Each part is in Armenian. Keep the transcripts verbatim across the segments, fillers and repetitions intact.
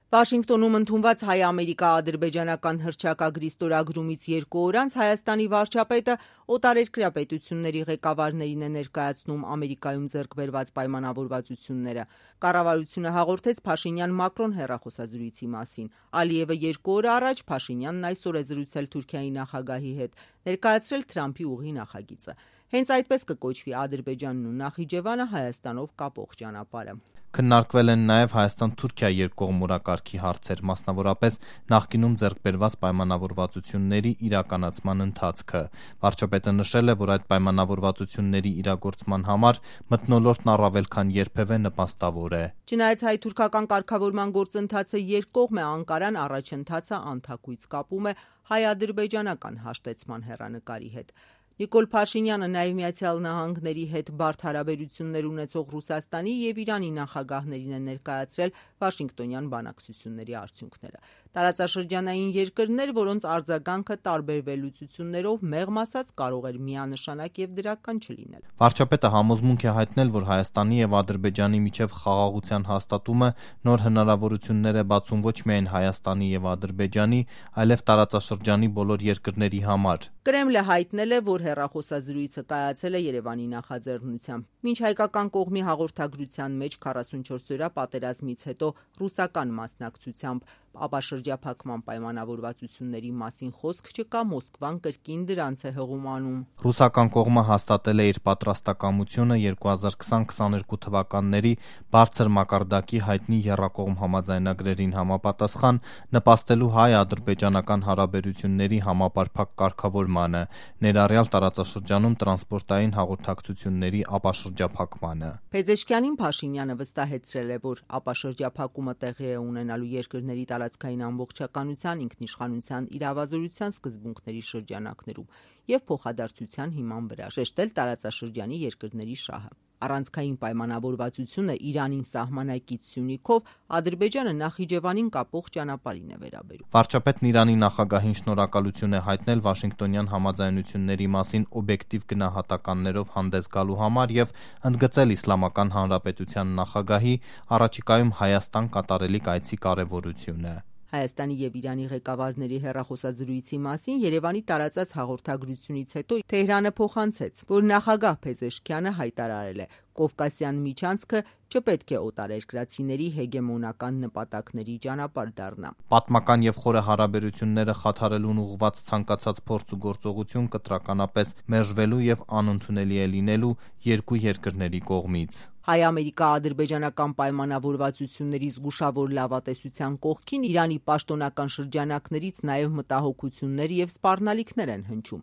Վաշինգտոնում ընդունված հայ-ամերիկա-ադրբեջանական հռչակագրի ստորագրումից երկու օր անց Հայաստանի վարչապետը օտարերկրյա պետությունների ղեկավարներին է ներկայացնում Ամերիկայում ձեռք բերված պայմանավորվածությունները։ Կառավարությունը հաղորդեց Փաշինյան-Մակրոն հեռախոսազրույցի մասին։ Ալիևը երկու օր առաջ Փաշինյանն այսօր է զրուցել Թուրքիայի նախագահի հետ, ներկայացրել Թրամփի ուղի նախագիծը։ Հենց այդպես կկոչվի Ադրբեջանն ու Նախիջևանը Հայաստանով կապող ճանապարհը։ Քննարկվել են նաև Հայաստան-Թուրքիա երկկողմ օրակարգի հարցեր, մասնավորապես նախկինում ձեռք բերված պայմանավորվածությունների իրականացման ընթացքը։ Վարչապետը նշել է, որ այդ պայմանավորվածությունների իրագործման համար մթնոլորտն առավել քան երբևէ նպաստավոր է։ Չնայած հայ-թուրքական կարգավորման գործընթացը երկկողմ է, Անկարան առաջընթացը անթակույց կապում է հայ-ադրբեջանական հաշտեցման հեռանկարի հետ։ Նիկոլ Փաշինյանը նաև Միացյալ Նահանգների հետ բարդ հարաբերություններ ունեցող Ռուսաստանի և Իրանի նախագահներին է ներկայացրել Վաշինգտոնյան բանակցությունների արդյունքները։ Տարածաշրջանային երկրներ, որոնց արձագանքը տարբեր վերլուծություններով մեղմ ասած կարող էր միանշանակ և դրական չլինել։ Վարչապետը համոզմունք է հայտնել, որ Հայաստանի և Ադրբեջանի միջև խաղաղության հաստատումը նոր հնարավորություններ է բացում ոչ միայն Հայաստանի և Ադրբեջանի, այլև տարածաշրջանի բոլոր երկրների համար։ Կրեմլը հայտնել է, որ հեռախոսազրույցը կայացել է Երևանի նախաձեռնությամբ։ Մինչ հայկական կողմի հաղորդագրության մեջ քառասունչորս օրյա պատերազմից հետո ռուսական մասնակցությամբ ապաշրջափակման պայմանավորվածությունների մասին խոսք չկա, Մոսկվան կրկին դրանց է հղում անում։ Ռուսական կողմը հաստատել է իր պատրաստակամությունը երկու հազար քսան քսաներկու թվականների բարձր մակարդակի հայտնի եռակողմ համաձայնագրերին համապատասխան նպաստելու հայ-ադրբեջանական հարաբերությունների համապարփակ կարգավորմանը, ներառյալ տարածաշրջանում տրանսպորտային հաղորդակցությունների ապաշրջափակմանը։ Փեզեշքյանին Փաշինյանը վստահեցրել է, որ ապաշրջափակումը տեղի է ունենալու երկրների տարածքային ամբողջականության, ինքնիշխանության, իրավազորության սկզբունքների շրջանակներում և փոխադարձության հիման վրա, շեշտել տարածաշրջանի երկրների շահը։ Առանցքային պայմանավորվածությունը Իրանին սահմանակից Սյունիքով Ադրբեջանը Նախիջևանին կապող ճանապարհին է վերաբերում։ Վարչապետն Իրանի նախագահին շնորհակալություն է հայտնել Վաշինգտոնյան համաձայնությունների մասին օբյեկտիվ գնահատականներով հանդես գալու համար և ընդգծել Իսլամական Հանրապետության նախագահի առաջիկայում Հայաստան կատարելիք այցի կարևորությունը։ Հայաստանի և Իրանի ղեկավարների հեռախոսազրույցի մասին Երևանի տարածած հաղորդագրությունից հետո Թեհրանը փոխանցեց, որ նախագահ Փեզեշքյանը հայտարարել է. Կովկասյան միջանցքը չպետք է օտարերկրացիների հեգեմոնական նպատակների ճանապարհ դառնա։ Պատմական և խորը հարաբերությունները խաթարելուն ուղղված ցանկացած փորձ ու գործողություն կտրականապես մերժվելու և անընդունելի է լինելու երկու երկրների կողմից։ Հայ-ամերիկա-ադրբեջանական պայմանավորվածությունների զգուշավոր լավատեսության կողքին Իրանի պաշտոնական շրջանակներից նաև մտահոգություններ և սպառնալիքներ են հնչում։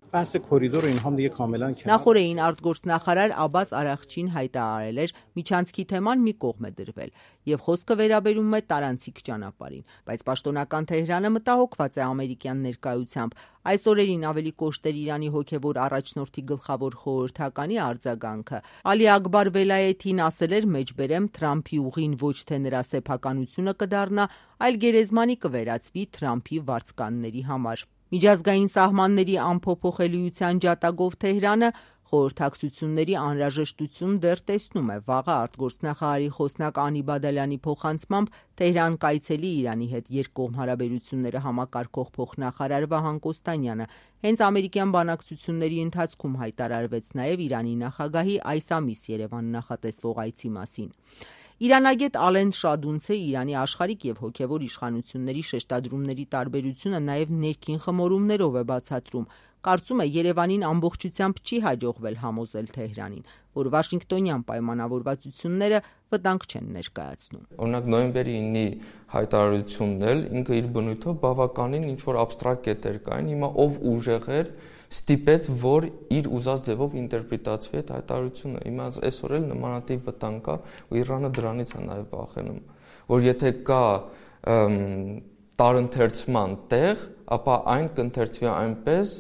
Նախօրեին արտգործնախարար Աբբաս Արաղչին հայտարարել էր՝ միջանցքի թեման մի կողմ է դրվել, և խոսքը վերաբերում է տարանցիկ ճանապարհին, բայց պաշտոնական Թեհրանը մտահոգված է ամերիկյան ներկայությամբ։ Այս օրերին ավելի կոշտ էր Իրանի հոգևոր առաջնորդի գլխավոր խորհրդականի արձագանքը։ Ալի Աքբար Վելայեթին ասել էր, մեջբերեմ, Թրամփի ուղին ոչ թե նրա սեփականությունը կդառնա, այլ գերեզմանի կվերածվի Թրամփի վարձկանների համար։ Միջազգային սահմանների անփոփոխելիության ջատագով Թեհրանը խորհրդակցությունների անհրաժեշտություն դեռ տեսնում է։ Վաղը արտգործնախարարի խոսնակ Անի Բադալյանի փոխանցմամբ Թեհրան կայցելի Իրանի հետ երկկողմ հարաբերությունները համակարգող փոխնախարար Վահան Կոստանյանը հենց ամերիկյան բանակցությունների ընթացքում հայտարարվեց նաև Իրանի նախագահի այս ամիս Երևան նախատեսվող այցի մասին։ Իրանագետ Ալեն Շադունցը Իրանի աշխարհիկ և հոգևոր իշխանությունների շեշտադրումների տարբերությունը նաև ներքին խմորումներով է բացատրում։ Կարծում է Երևանին ամբողջությամբ չի հաջողվել համոզել Թեհրանին, որ Վաշինգտոնյան պայմանավորվածությունները վտանգ չեն ներկայացնում։ Օրինակ նոյեմբերի ինի հայտարարությունն էլ ինքը իր բնույթով բավականին ինչ-որ աբստրակտ կետեր կային, հիմա ով ուժեղ էր ստիպեց, որ իր ուզած ձևով ինտերպրետացվի այդ հայտարարությունը։ Հիմա այսօր էլ նմանատիպ վտանգ կա, ու Իրանը դրանից է նաև վախենում, որ եթե կա տարընթերցման տեղ, ապա այն կընթերցվի այնպես,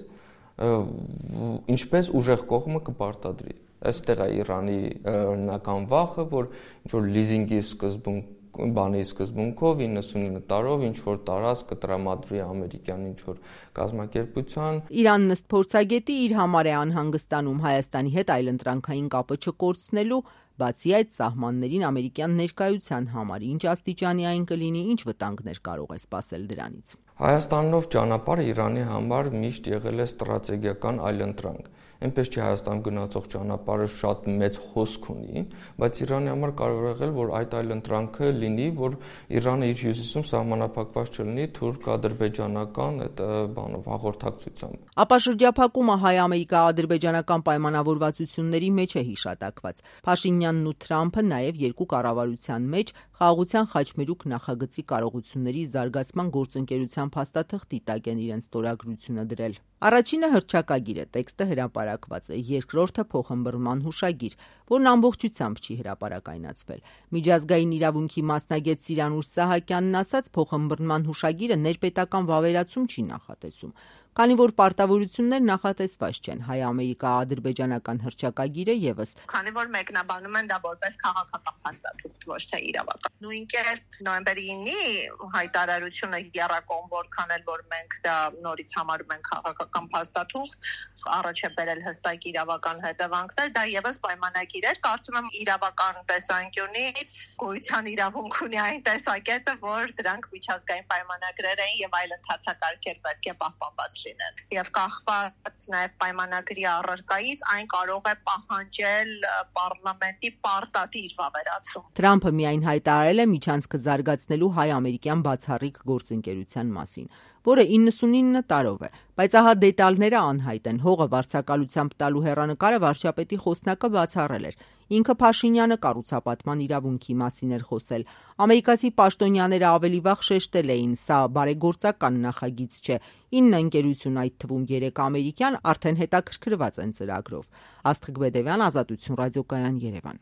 ինչպես ուժեղ կողմը կպարտադրի։ Այստեղ է Իրանի օրինական վախը, որ ինչ-որ լիզինգի սկզբունք բանի սկզբունքով իննսունինը տարով ինչ-որ տարածք կտրամադրվի ամերիկյան ինչ-որ կազմակերպության։ Իրանն ըստ փորձագետի իր համար է անհանգստանում Հայաստանի հետ այլընտրանքային կապը չկորցնելու, Բացի այդ, սահմաններին ամերիկյան ներկայության համար ինչ աստիճանի այն կլինի, ինչ վտանգներ կարող է սպասել դրանից։ Հայաստանով ճանապարհը Իրանի համար միշտ եղել է ստրատեգիական այլընտրանք։ Այնպես չի Հայաստան գնացող ճանապարհը շատ մեծ հոսք ունի, բայց Իրանի համար կարող է եղել, որ այդ այլընտրանքը լինի, որ Իրանը իր հյուսիսում սահմանափակված չլինի թուրք-ադրբեջանական այդ բանով հաղորդակցությամբ։ Ապա շրջափակումը հայ-ամերիկա-ադրբեջանական պայմանավորվածությունների մեջ է հիշատակված։ Փաշինյանն ու Թրամփը նաև երկու կառավարության մեջ խաղաղության խաչմերուկ նախագծի կարողությունների զարգացման գործընկերության փաստաթղթի տակ են իրենց ստորագրությունը դրել։ Առաջինը հռչակագիր է, տեքստը հրապարակված է, երկրորդը փոխըմբռնման հուշագիր, որն ամբողջությամբ չի հրապարակայնացվել։ Միջազգային իրավունքի մասնագետ Սիրանուշ Սահակյանն ասաց, փոխըմբռնման հուշագիրը ներպետական վավերացում չի նախատեսում, քանի որ պարտավորություններ նախատեսված չեն։ Հայ-ամերիկա-ադրբեջանական հռչակագիրը եւս, քանի որ մեկնաբանում են դա որպես քաղաքական փաստաթուղթ, ոչ թե իրավական։ Նույն կերպ նոյեմբերի ինի հայտարարությունը եռակողմ որքան էլ որ մենք դա նորից համարում ենք քաղաքական փաստաթուղթ, առաջ է բերել հստակ իրավական հետևանքներ, դա եւս պայմանագիր էր, կարծում եմ իրավական տեսանկյունից գոյության իրավունք ունի այն տեսակետը, որ դրանք միջազգային պայմանագրեր են եւ այլ ընթացակարգեր պետք է պահպանված լինեն։ Եվ կախված նաեւ պայմանագրի առարկայից այն կարող է պահանջել պարլամենտի պարտադիր վավերացում։ Թրամփը միայն հայտարարել է միջանցքը զարգացնելու հայ-ամերիկյան բացառիկ գործընկերության մասին, որը իննսունինը տարով է, բայց ահա դետալները անհայտ են։ Հողը վարձակալությամբ տալու հեռանկարը վարչապետի խոսնակը բացառել էր։ Ինքը Փաշինյանը կառուցապատման իրավունքի մասին էր խոսել։ Ամերիկացի պաշտոնյաները ավելի վաղ շեշտել էին, սա բարեգործական նախագիծ չէ։ ինը ընկերություն, այդ թվում երեք ամերիկյան, արդեն հետաքրքրված են ծրագրով։ Աստղիկ Բեդևյան, Ազատություն ռադիոկայան, Երևան։